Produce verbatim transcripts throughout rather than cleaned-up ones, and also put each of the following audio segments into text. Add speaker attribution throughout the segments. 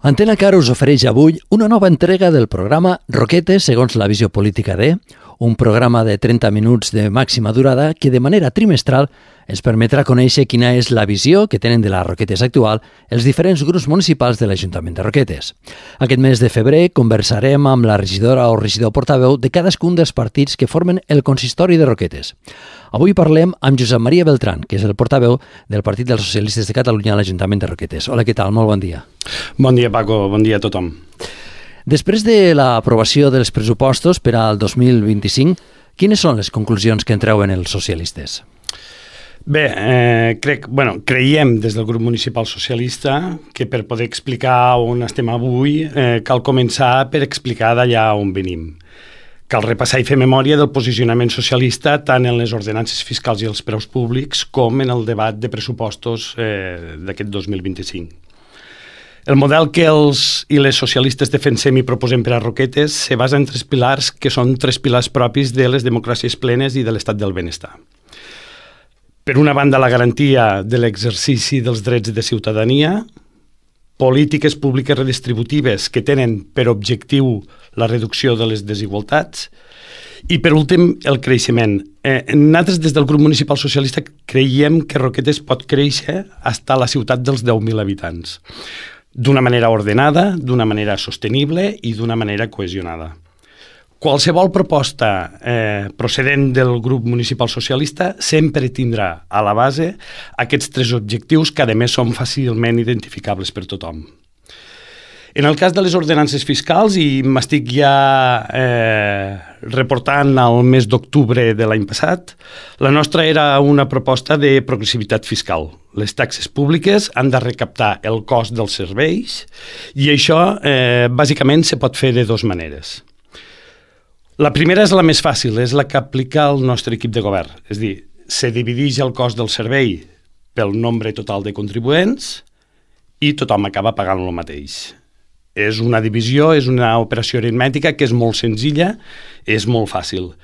Speaker 1: Antena Car us ofereix avui una nova entrega del programa Roquetes segons la visió política de, un programa de trenta minuts de màxima durada que de manera trimestral ens permetrà conèixer quina és la visió que tenen de les Roquetes actual els diferents grups municipals de l'Ajuntament de Roquetes. Aquest mes de febrer conversarem amb la regidora o regidor portaveu de cadascun dels partits que formen el consistori de Roquetes. Avui parlem amb Josep Maria Beltrán, que és el portaveu del Partit dels Socialistes de Catalunya a l'Ajuntament de Roquetes. Hola, què tal? Molt bon dia.
Speaker 2: Bon dia, Paco. Bon dia a tothom.
Speaker 1: Després de l'aprovació dels pressupostos per al dos mil vint-i-cinc, quines són les conclusions que en treuen els socialistes?
Speaker 2: Bé, eh, crec, bueno, creiem des del grup municipal socialista que per poder explicar on estem avui eh, cal començar per explicar d'allà on venim. Cal repassar i fer memòria del posicionament socialista tant en les ordenances fiscals i els preus públics com en el debat de pressupostos eh, d'aquest dos mil vint-i-cinc. El model que els i les socialistes defensem i proposem per a Roquetes se basa en tres pilars que són tres pilars propis de les democràcies plenes i de l'estat del benestar. Per una banda, la garantia de l'exercici dels drets de ciutadania, polítiques públiques redistributives que tenen per objectiu la reducció de les desigualtats i, per últim, el creixement. Eh, nosaltres, des del grup municipal socialista, creiem que Roquetes pot créixer fins a la ciutat dels deu mil habitants, d'una manera ordenada, d'una manera sostenible i d'una manera cohesionada. Qualsevol proposta eh, procedent del grup municipal socialista sempre tindrà a la base aquests tres objectius que, a més, són fàcilment identificables per tothom. En el cas de les ordenances fiscals, i m'estic ja eh, reportant al mes d'octubre de l'any passat, la nostra era una proposta de progressivitat fiscal. Les taxes públiques han de recaptar el cost dels serveis i això eh, bàsicament se pot fer de dues maneres. La primera és la més fàcil, és la que aplica el nostre equip de govern. És a dir, se divideix el cost del servei pel nombre total de contribuents i tothom acaba pagant el mateix. És una divisió, és una operació aritmètica que és molt senzilla, és molt fàcil.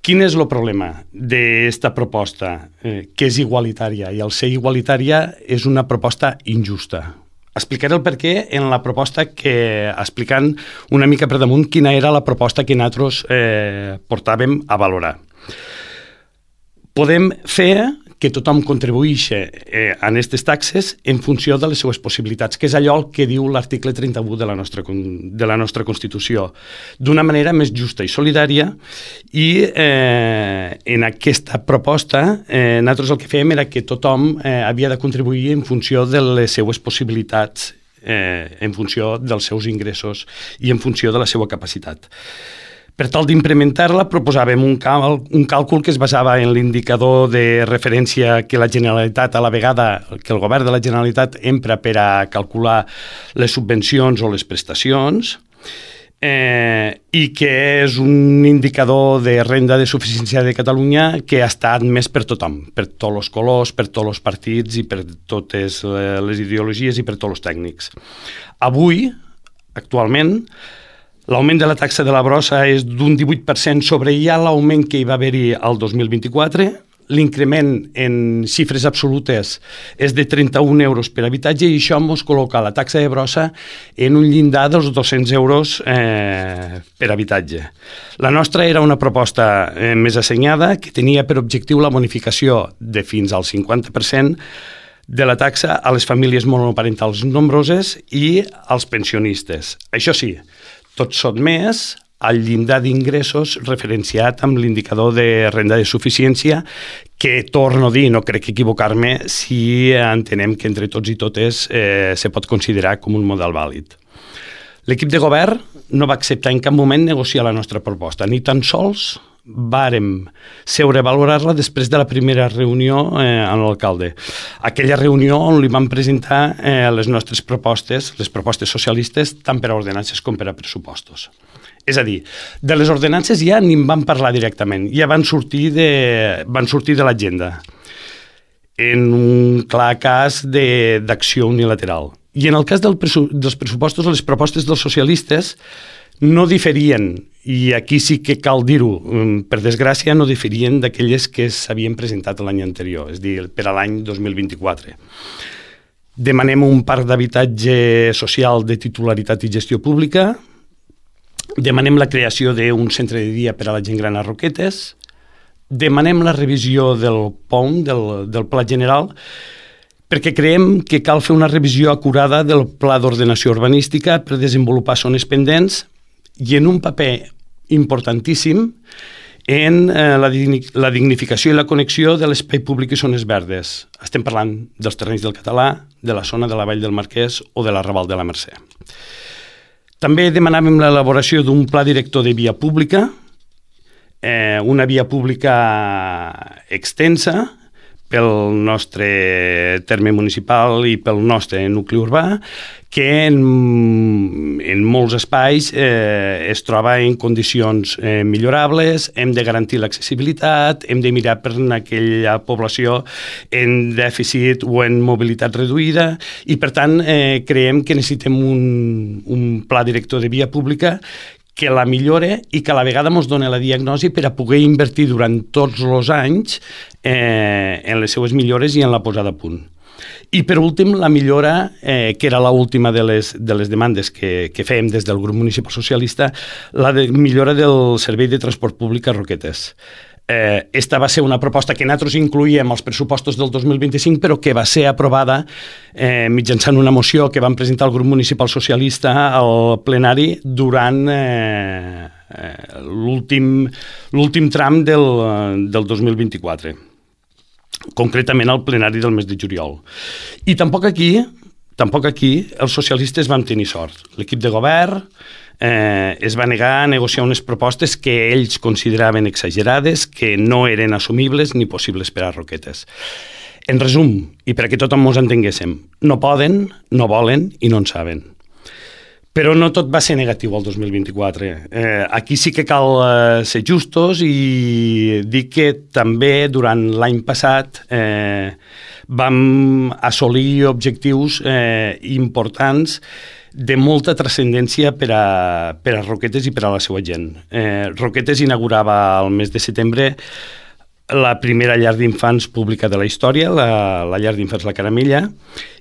Speaker 2: Quin és el problema d'esta proposta? Eh, que és igualitària, i al ser igualitària és una proposta injusta. Explicaré el perquè en la proposta que, explicant una mica per damunt quina era la proposta que nosaltres eh, portàvem a valorar. Podem fer que tothom contribueixi eh, en aquestes taxes en funció de les seues possibilitats, que és allò que diu l'article trenta-u de la nostra, de la nostra Constitució, d'una manera més justa i solidària, i eh, en aquesta proposta eh, nosaltres el que fèiem era que tothom eh, havia de contribuir en funció de les seues possibilitats, eh, en funció dels seus ingressos i en funció de la seva capacitat. Per tal d'implementar-la, proposàvem un, cal, un càlcul que es basava en l'indicador de referència que la Generalitat, a la vegada que el govern de la Generalitat empra per a calcular les subvencions o les prestacions, eh, i que és un indicador de renda de suficiència de Catalunya que ha estat més per tothom, per tots els colors, per tots els partits i per totes les ideologies i per tots els tècnics. Avui, actualment, l'augment de la taxa de la brossa és d'un divuit per cent sobre ja l'augment que hi va haver-hi el dos mil vint-i-quatre. L'increment en xifres absolutes és de trenta-un euros per habitatge i això ens col·loca la taxa de brossa en un llindar dels dos-cents euros eh, per habitatge. La nostra era una proposta eh, més assenyada que tenia per objectiu la bonificació de fins al cinquanta per cent de la taxa a les famílies monoparentals nombroses i als pensionistes. Això sí, tot sotmès al llindar d'ingressos referenciat amb l'indicador de renda de suficiència que, torno a dir, no crec equivocar-me si entenem que entre tots i totes eh, se pot considerar com un model vàlid. L'equip de govern no va acceptar en cap moment negociar la nostra proposta, ni tan sols vàrem seure a valorar-la després de la primera reunió eh, amb l'alcalde. Aquella reunió on li vam presentar eh, les nostres propostes, les propostes socialistes, tant per a ordenances com per a pressupostos. És a dir, de les ordenances ja ni en van parlar directament, ja van sortir de, van sortir de l'agenda, en un clar cas d'acció unilateral. I en el cas del pressu dels pressupostos, les propostes dels socialistes no diferien, i aquí sí que cal dir-ho, per desgràcia, no diferien d'aquelles que s'havien presentat l'any anterior, és a dir, per a l'any dos mil vint-i-quatre. Demanem un parc d'habitatge social de titularitat i gestió pública. Demanem la creació d'un centre de dia per a la gent gran a Roquetes. Demanem la revisió del P O M, del, del Pla General, perquè creiem que cal fer una revisió acurada del Pla d'Ordenació Urbanística per desenvolupar zones pendents i en un paper importantíssim en eh, la, la dignificació i la connexió de l'espai públic i zones verdes. Estem parlant dels terrenys del Català, de la zona de la Vall del Marquès o de la Raval de la Mercè. També demanàvem l'elaboració d'un pla director de via pública, eh, una via pública extensa pel nostre terme municipal i pel nostre nucli urbà, que en, en molts espais eh, es troba en condicions eh, millorables. Hem de garantir l'accessibilitat, hem de mirar per aquella població en dèficit o en mobilitat reduïda i, per tant, eh, creiem que necessitem un, un pla director de via pública que la millore i que a la vegada ens doni la diagnosi per a poder invertir durant tots els anys eh, en les seues millores i en la posada a punt. I, per últim, la millora, eh, que era l'última de les, de les demandes que, que fèiem des del grup municipal socialista, la de millora del servei de transport públic a Roquetes. Eh, esta va ser una proposta que nosaltres incluïem als pressupostos del dos mil vint-i-cinc, però que va ser aprovada eh, mitjançant una moció que van presentar el grup municipal socialista al plenari durant eh, eh, l'últim l'últim tram del, del dos mil vint-i-quatre, concretament al plenari del mes de juliol. I tampoc aquí, tampoc aquí els socialistes vam tenir sort. L'equip de govern Eh, es va negar a negociar unes propostes que ells consideraven exagerades, que no eren assumibles ni possibles per a Roquetes. En resum, i perquè tothom ens entenguéssim, no poden, no volen i no en saben. Però no tot va ser negatiu el dos mil vint-i-quatre. Eh, aquí sí que cal eh, ser justos i dir que també durant l'any passat eh, vam assolir objectius eh, importants de molta transcendència per a, per a Roquetes i per a la seva gent. Eh, Roquetes inaugurava el mes de setembre la primera llar d'infants pública de la història, la, la llar d'infants La Caramella,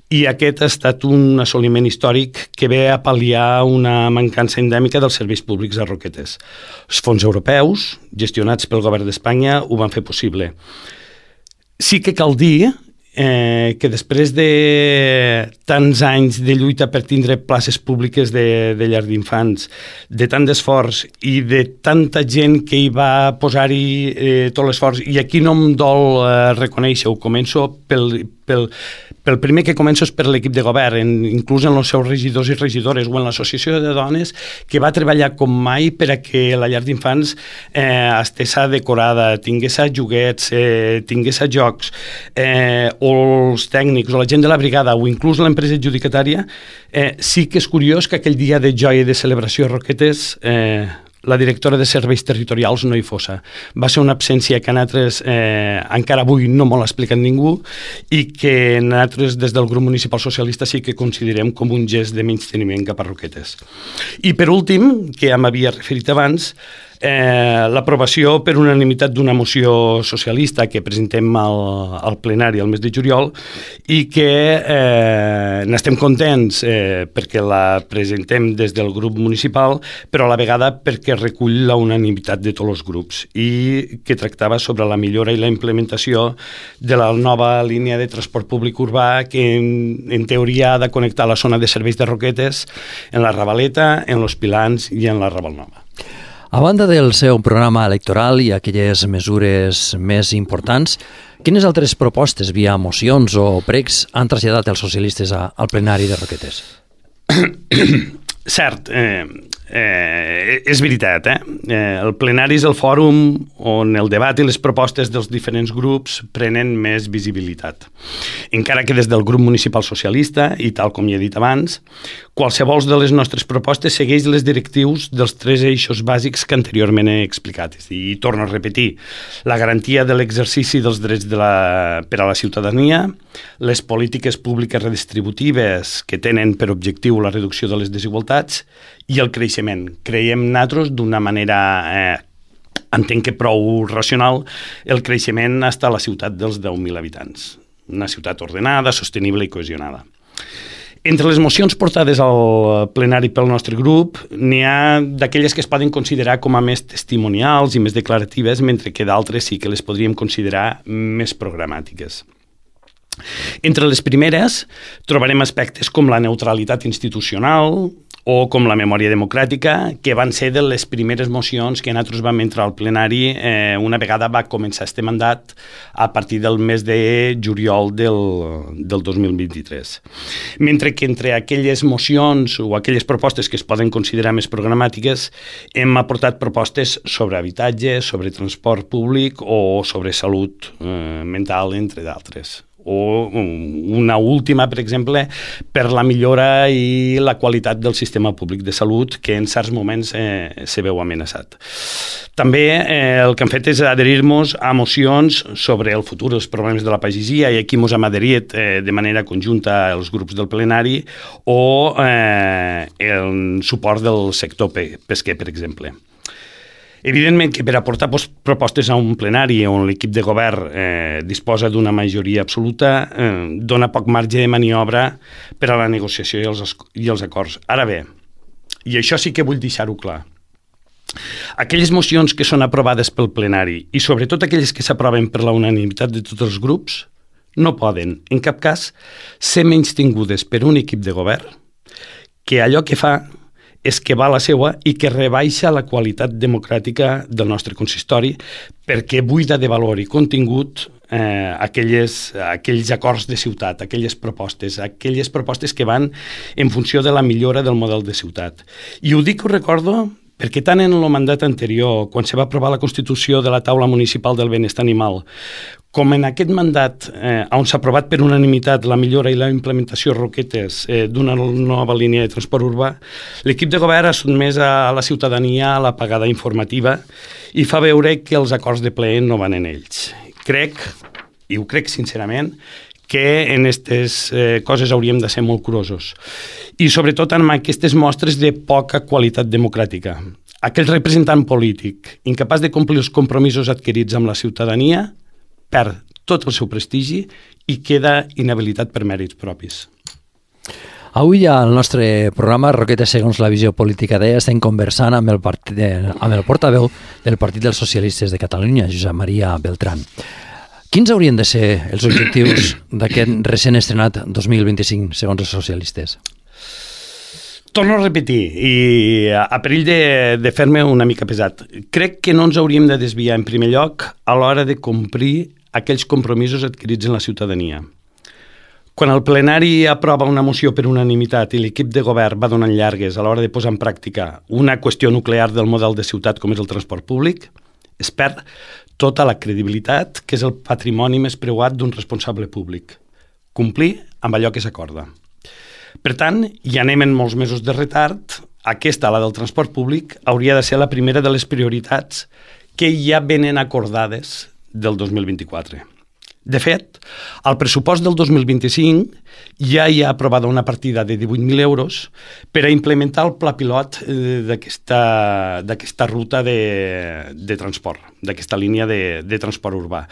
Speaker 2: i aquest ha estat un assoliment històric que ve a pal·liar una mancança endèmica dels serveis públics a Roquetes. Els fons europeus, gestionats pel govern d'Espanya, ho van fer possible. Sí que cal dir Eh, que després de tants anys de lluita per tindre places públiques de, de llar d'infants, de tant d'esforç i de tanta gent que hi va posar-hi eh, tot l'esforç, i aquí no em dol eh, reconèixer-ho, començo pel, pel, pel primer que començo és per l'equip de govern, en, inclús en els seus regidors i regidores o en l'associació de dones, que va treballar com mai per a que la llar d'infants eh, estés decorada, tingués joguets, eh, tingués jocs, eh, o els tècnics o la gent de la brigada o inclús l'empresa adjudicatària. Eh, sí que és curiós que aquell dia de joia i de celebració a Roquetes eh, la directora de serveis territorials no hi fos. Va ser una absència que nosaltres eh, encara avui no m'ho ha explicat ningú i que nosaltres des del grup municipal socialista sí que considerem com un gest de menysteniment cap a Roquetes. I per últim, que ja m'havia referit abans, Eh, l'aprovació per unanimitat d'una moció socialista que presentem al, al plenari el mes de juliol i que eh, n'estem contents eh, perquè la presentem des del grup municipal, però a la vegada perquè recull la unanimitat de tots els grups i que tractava sobre la millora i la implementació de la nova línia de transport públic urbà que en, en teoria ha de connectar la zona de serveis de Roquetes en la Ravaleta, en los Pilans i en la Raval Nova.
Speaker 1: A banda del seu programa electoral i aquelles mesures més importants, quines altres propostes via mocions o pregs han traslladat els socialistes a, al plenari de Roquetes?
Speaker 2: Cert, eh, eh, és veritat, eh? eh? El plenari és el fòrum on el debat i les propostes dels diferents grups prenen més visibilitat. Encara que des del grup municipal socialista, i tal com ja he dit abans, qualsevol de les nostres propostes segueix les directrius dels tres eixos bàsics que anteriorment he explicat. I torno a repetir, la garantia de l'exercici dels drets de la, per a la ciutadania, les polítiques públiques redistributives que tenen per objectiu la reducció de les desigualtats i el creixement. Creiem nosaltres d'una manera, eh, entenc que prou racional, el creixement està a la ciutat dels deu mil habitants. Una ciutat ordenada, sostenible i cohesionada. Entre les mocions portades al plenari pel nostre grup, n'hi ha d'aquelles que es poden considerar com a més testimonials i més declaratives, mentre que d'altres sí que les podríem considerar més programàtiques. Entre les primeres trobarem aspectes com la neutralitat institucional o com la memòria democràtica, que van ser de les primeres mocions que nosaltres vam entrar al plenari eh, una vegada va començar este mandat a partir del mes de juliol del, del dos mil vint-i-tres. Mentre que entre aquelles mocions o aquelles propostes que es poden considerar més programàtiques hem aportat propostes sobre habitatge, sobre transport públic o sobre salut eh, mental, entre d'altres. O una última, per exemple, per la millora i la qualitat del sistema públic de salut, que en certs moments eh, se veu amenaçat. També eh, el que hem fet és adherir-nos a mocions sobre el futur dels problemes de la pagesia, i aquí ens hem adherit eh, de manera conjunta els grups del plenari, o eh, el suport del sector pesquer, per exemple. Evidentment que per aportar propostes a un plenari on l'equip de govern eh, disposa d'una majoria absoluta eh, dona poc marge de maniobra per a la negociació i els, i els acords. Ara bé, i això sí que vull deixar-ho clar, aquelles mocions que són aprovades pel plenari i sobretot aquelles que s'aproven per la unanimitat de tots els grups no poden, en cap cas, ser menystingudes per un equip de govern que allò que fa és que va a la seua i que rebaixa la qualitat democràtica del nostre consistori perquè buida de valor i contingut eh, aquelles, aquells acords de ciutat, aquelles propostes, aquelles propostes que van en funció de la millora del model de ciutat. I ho dic, ho recordo, perquè tant en el mandat anterior, quan se va aprovar la Constitució de la Taula Municipal del Benestar Animal, com en aquest mandat, eh, on s'ha aprovat per unanimitat la millora i la implementació Roquetes eh, d'una nova línia de transport urbà, l'equip de govern ha sotmès a la ciutadania a la pagada informativa i fa veure que els acords de ple no van en ells. Crec, i ho crec sincerament, que en aquestes eh, coses hauríem de ser molt curosos. I sobretot en aquestes mostres de poca qualitat democràtica. Aquell representant polític incapaç de complir els compromisos adquirits amb la ciutadania perd tot el seu prestigi i queda inhabilitat per mèrits propis.
Speaker 1: Avui al nostre programa Roquetes segons la visió política d'E estem conversant amb el, partit, amb el portaveu del Partit dels Socialistes de Catalunya, Josep Maria Beltrán. Quins haurien de ser els objectius d'aquest recent estrenat dos mil vint-i-cinc, segons els socialistes?
Speaker 2: Torno a repetir, i a perill de, de fer-me una mica pesat. Crec que no ens hauríem de desviar, en primer lloc, a l'hora de complir aquells compromisos adquirits en la ciutadania. Quan el plenari aprova una moció per unanimitat i l'equip de govern va donant llargues a l'hora de posar en pràctica una qüestió nuclear del model de ciutat com és el transport públic, es perd tota la credibilitat, que és el patrimoni més preuat d'un responsable públic. Complir amb allò que s'acorda. Per tant, ja anem en molts mesos de retard. Aquesta, la del transport públic, hauria de ser la primera de les prioritats que ja venen acordades del dos mil vint-i-quatre. De fet, al pressupost del dos mil vint-i-cinc ja hi ha aprovada una partida de divuit mil euros per a implementar el pla pilot d'aquesta, d'aquesta ruta de, de transport, d'aquesta línia de, de transport urbà.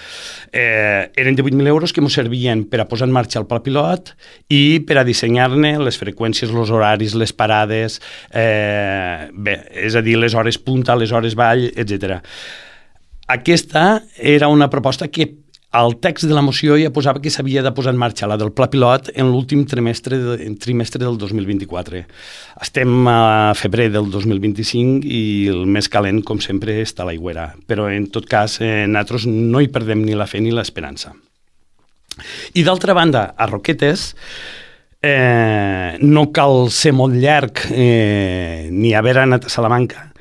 Speaker 2: Eh, eren divuit mil euros que ens servien per a posar en marxa el pla pilot i per a dissenyar-ne les freqüències, els horaris, les parades, eh, bé, és a dir, les hores punta, les hores vall, etcètera. Aquesta era una proposta que el text de la moció ja posava que s'havia de posar en marxa la del pla pilot en l'últim trimestre, de, trimestre del dos mil vint-i-quatre. Estem a febrer del dos mil vint-i-cinc i el més calent, com sempre, està a l'aigüera. Però, en tot cas, eh, nosaltres no hi perdem ni la fe ni l'esperança. I, d'altra banda, a Roquetes eh, no cal ser molt llarg eh, ni haver anat a Salamanca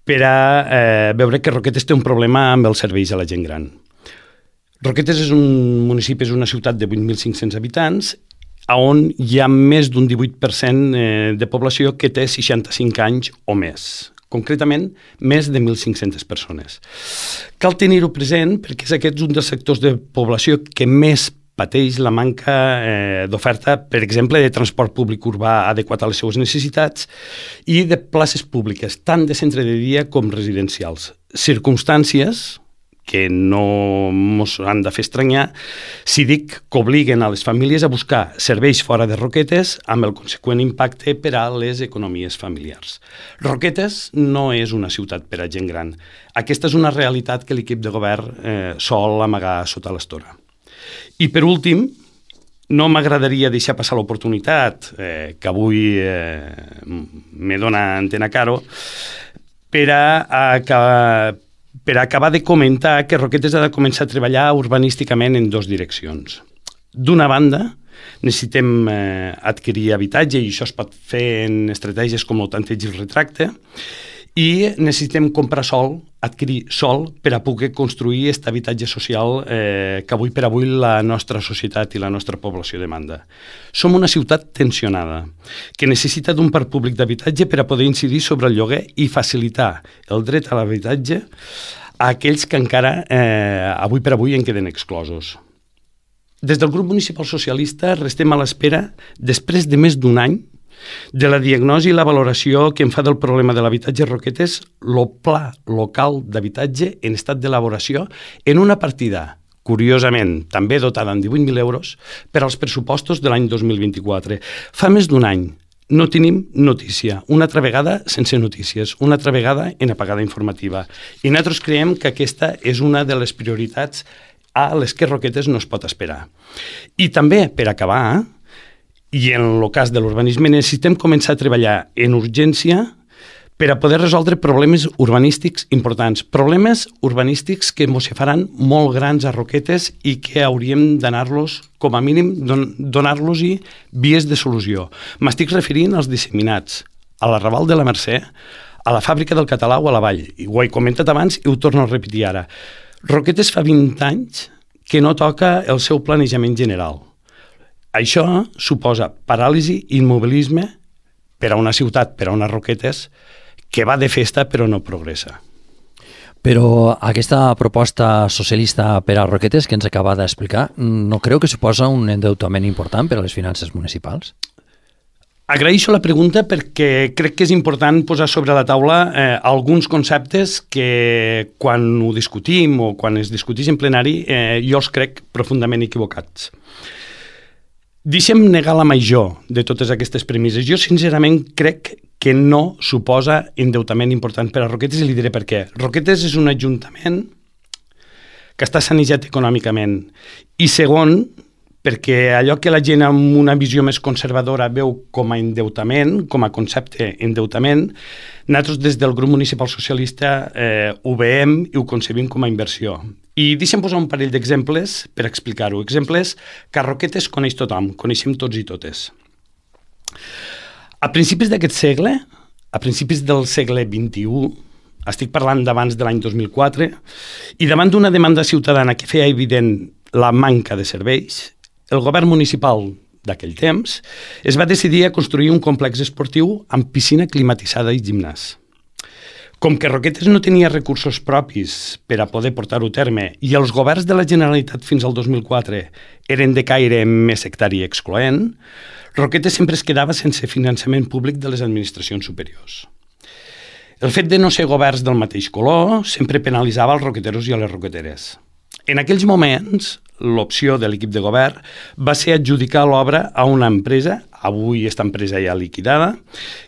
Speaker 2: per a eh, veure que Roquetes té un problema amb els serveis a la gent gran. Roquetes és un municipi, és una ciutat de vuit mil cinc-cents habitants, on hi ha més d'un divuit per cent de població que té seixanta-cinc anys o més. Concretament, més de mil cinc-centes persones. Cal tenir-ho present perquè és aquest un dels sectors de població que més pateix la manca eh, d'oferta, per exemple, de transport públic urbà adequat a les seues necessitats i de places públiques, tant de centre de dia com residencials. Circumstàncies que no ens han de fer estranyar si dic que obliguen a les famílies a buscar serveis fora de Roquetes amb el conseqüent impacte per a les economies familiars. Roquetes no és una ciutat per a gent gran. Aquesta és una realitat que l'equip de govern eh, sol amagar sota l'estora. I per últim, no m'agradaria deixar passar l'oportunitat eh, que avui eh, me dona Antena Caro per a, a, per a acabar de comentar que Roquetes ha de començar a treballar urbanísticament en dues direccions. D'una banda, necessitem eh, adquirir habitatge i això es pot fer en estratègies com el tanteig i el retracte, i necessitem comprar sol, adquirir sol per a poder construir aquest habitatge social eh, que avui per avui la nostra societat i la nostra població demanda. Som una ciutat tensionada que necessita d'un parc públic d'habitatge per a poder incidir sobre el lloguer i facilitar el dret a l'habitatge a aquells que encara eh, avui per avui en queden exclosos. Des del grup municipal socialista restem a l'espera, després de més d'un any, de la diagnosi i la valoració que en fa del problema de l'habitatge a Roquetes, el pla local d'habitatge en estat d'elaboració en una partida, curiosament, també dotada amb divuit mil euros, per als pressupostos de l'any dos mil vint-i-quatre. Fa més d'un any no tenim notícia, una altra vegada sense notícies, una altra vegada en apagada informativa. I nosaltres creiem que aquesta és una de les prioritats a les que Roquetes no es pot esperar. I també, per acabar, i en el cas de l'urbanisme necessitem començar a treballar en urgència per a poder resoldre problemes urbanístics importants, problemes urbanístics que ens faran molt grans a Roquetes i que hauríem d'anar-los, com a mínim, don donar-los-hi vies de solució. M'estic referint als disseminats, a la Raval de la Mercè, a la fàbrica del Català o a la Vall. I ho he comentat abans i ho torno a repetir ara. Roquetes fa vint anys que no toca el seu planejament general. Això suposa paràlisi i immobilisme per a una ciutat, per a unes Roquetes, que va de festa però no progressa.
Speaker 1: Però aquesta proposta socialista per a Roquetes que ens acaba d'explicar, no creu que suposa un endeutament important per a les finances municipals?
Speaker 2: Agraeixo la pregunta perquè crec que és important posar sobre la taula eh, alguns conceptes que quan ho discutim o quan es discuteix en plenari eh, jo els crec profundament equivocats. Deixem negar la major de totes aquestes premisses. Jo, sincerament, crec que no suposa endeutament important per a Roquetes i li diré per què. Roquetes és un ajuntament que està sanejat econòmicament i segon, perquè allò que la gent amb una visió més conservadora veu com a endeutament, com a concepte endeutament, nosaltres des del grup municipal socialista eh, ho veiem i ho concebim com a inversió. I deixem posar un parell d'exemples per explicar-ho. Exemples que a Roquetes coneix tothom, coneixem tots i totes. A principis d'aquest segle, a principis del segle vint-i-u, estic parlant d'abans de l'any dos mil quatre, i davant d'una demanda ciutadana que feia evident la manca de serveis, el govern municipal d'aquell temps es va decidir a construir un complex esportiu amb piscina climatitzada i gimnàs. Com que Roquetes no tenia recursos propis per a poder portar-ho a terme i els governs de la Generalitat fins al dos mil quatre eren de caire més sectari i excloent, Roquetes sempre es quedava sense finançament públic de les administracions superiors. El fet de no ser governs del mateix color sempre penalitzava els roqueteros i a les roqueteres. En aquells moments, l'opció de l'equip de govern va ser adjudicar l'obra a una empresa, avui aquesta empresa ja liquidada,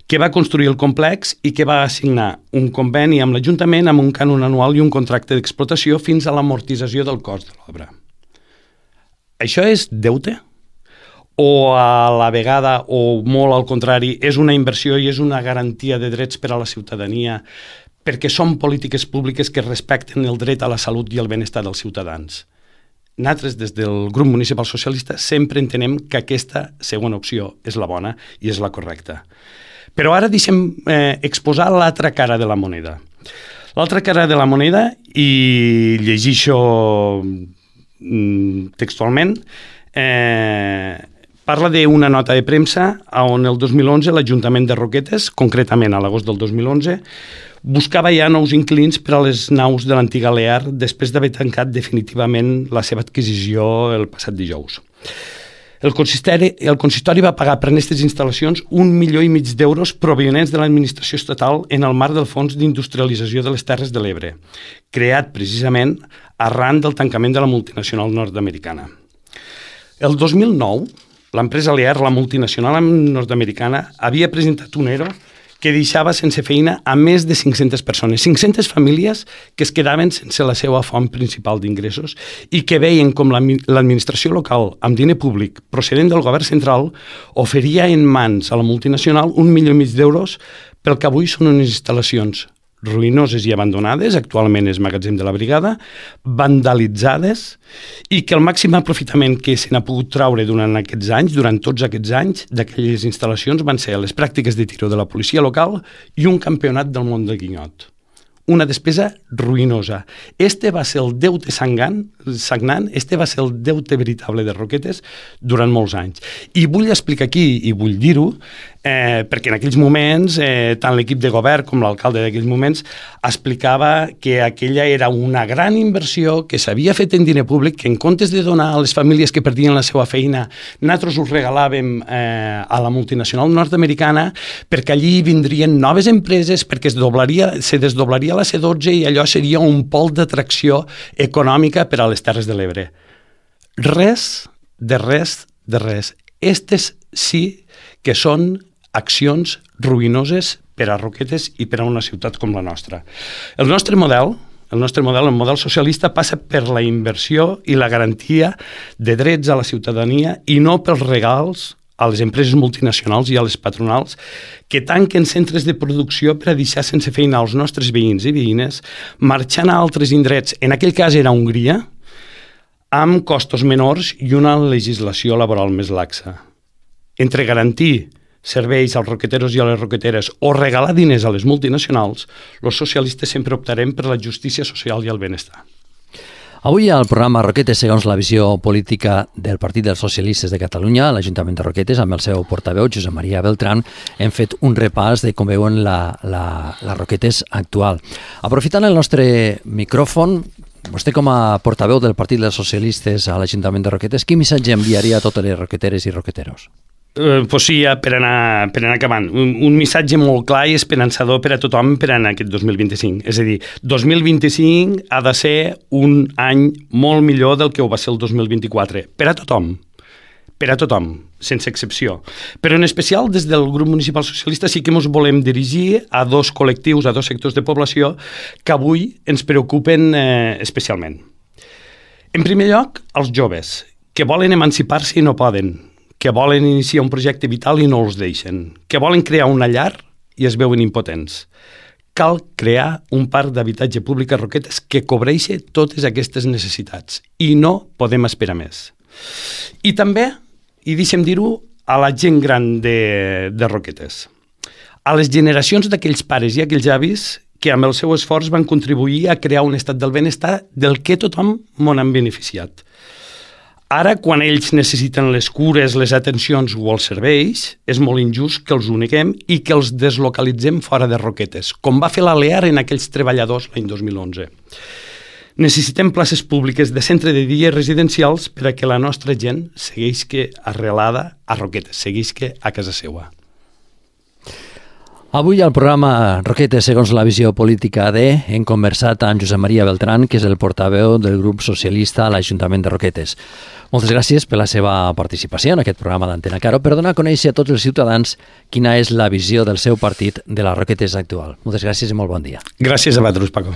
Speaker 2: que va construir el complex i que va assignar un conveni amb l'Ajuntament amb un cànon anual i un contracte d'explotació fins a l'amortització del cost de l'obra. Això és deute? O a la vegada, o molt al contrari, és una inversió i és una garantia de drets per a la ciutadania perquè són polítiques públiques que respecten el dret a la salut i el benestar dels ciutadans? Nosaltres, des del grup municipal socialista, sempre entenem que aquesta segona opció és la bona i és la correcta. Però ara deixem eh, exposar l'altra cara de la moneda. L'altra cara de la moneda, i llegixo mm, textualment, eh, parla d'una nota de premsa on el dos mil onze l'Ajuntament de Roquetes, concretament a l'agost del dos mil onze, buscava ja nous inquilins per a les naus de l'antiga Lear després d'haver tancat definitivament la seva adquisició el passat dijous. El consistori, el consistori va pagar per aquestes instal·lacions un milió i mig d'euros provenents de l'administració estatal en el marc del Fons d'Industrialització de les Terres de l'Ebre, creat precisament arran del tancament de la multinacional nord-americana. El dos mil nou, l'empresa Lear, la multinacional nord-americana, havia presentat un ERO que deixava sense feina a més de cinc-centes persones, cinc-centes famílies que es quedaven sense la seva font principal d'ingressos i que veien com l'administració local, amb diner públic procedent del govern central, oferia en mans a la multinacional un milió i mig d'euros pel que avui són unes instal·lacions ruïnoses i abandonades, actualment és magatzem de la brigada, vandalitzades, i que el màxim aprofitament que se n'ha pogut traure durant aquests anys, durant tots aquests anys, d'aquelles instal·lacions van ser les pràctiques de tiro de la policia local i un campionat del món del guinyot. Una despesa ruïnosa. Este va ser el deute sagnant, sagnant, este va ser el deute veritable de Roquetes durant molts anys. I vull explicar aquí, i vull dir-ho, eh, perquè en aquells moments, eh, tant l'equip de govern com l'alcalde d'aquells moments, explicava que aquella era una gran inversió que s'havia fet en diner públic, que en comptes de donar a les famílies que perdien la seva feina, nosaltres us regalàvem eh, a la multinacional nord-americana perquè allí vindrien noves empreses, perquè es doblaria, se desdoblaria la C dotze i allò seria un pol d'atracció econòmica per a les Terres de l'Ebre. Res, de res, de res. Estes sí que són accions ruïnoses per a Roquetes i per a una ciutat com la nostra. El nostre model, el nostre model, el model socialista, passa per la inversió i la garantia de drets a la ciutadania i no pels regals a les empreses multinacionals i a les patronals que tanquen centres de producció per a deixar sense feina als nostres veïns i veïnes, marxant a altres indrets, en aquell cas era Hongria, amb costos menors i una legislació laboral més laxa. Entre garantir serveis als roqueteros i a les roqueteres o regalar diners a les multinacionals, els socialistes sempre optarem per la justícia social i el benestar.
Speaker 1: Avui al programa Roquetes segons la visió política del Partit dels Socialistes de Catalunya, a l'Ajuntament de Roquetes, amb el seu portaveu, Josep Maria Beltrán, hem fet un repàs de com veuen la, la, la Roquetes actual. Aprofitant el nostre micròfon, vostè com a portaveu del Partit dels Socialistes a l'Ajuntament de Roquetes, quin missatge enviaria a totes les roqueteres i roqueteros?
Speaker 2: Uh, pues sí, per anar, per anar acabant. Un, un missatge molt clar i esperançador per a tothom per anar aquest dos mil vint-i-cinc. És a dir, dos mil vint-i-cinc ha de ser un any molt millor del que ho va ser el dos mil vint-i-quatre. Per a tothom. Per a tothom, sense excepció. Però en especial des del grup municipal socialista sí que ens volem dirigir a dos col·lectius, a dos sectors de població que avui ens preocupen eh, especialment. En primer lloc, els joves, que volen emancipar-se i no poden, que volen iniciar un projecte vital i no els deixen, que volen crear una llar i es veuen impotents. Cal crear un parc d'habitatge públic a Roquetes que cobreixi totes aquestes necessitats i no podem esperar més. I també, i deixem dir-ho, a la gent gran de, de Roquetes, a les generacions d'aquells pares i aquells avis que amb el seu esforç van contribuir a crear un estat del benestar del que tothom m'ho han beneficiat. Ara, quan ells necessiten les cures, les atencions o els serveis, és molt injust que els ho neguem i que els deslocalitzem fora de Roquetes, com va fer la Lear en aquells treballadors l'any dos mil onze. Necessitem places públiques de centre de dia residencials per a que la nostra gent segueixi arrelada a Roquetes, segueixi a casa seva.
Speaker 1: Avui al programa Roquetes segons la visió política de hem conversat amb Josep Maria Beltrán, que és el portaveu del grup socialista a l'Ajuntament de Roquetes. Moltes gràcies per la seva participació en aquest programa d'Antena Caro per donar a conèixer a tots els ciutadans quina és la visió del seu partit de la Roquetes actual. Moltes gràcies i molt bon dia.
Speaker 2: Gràcies a vosaltres, Paco.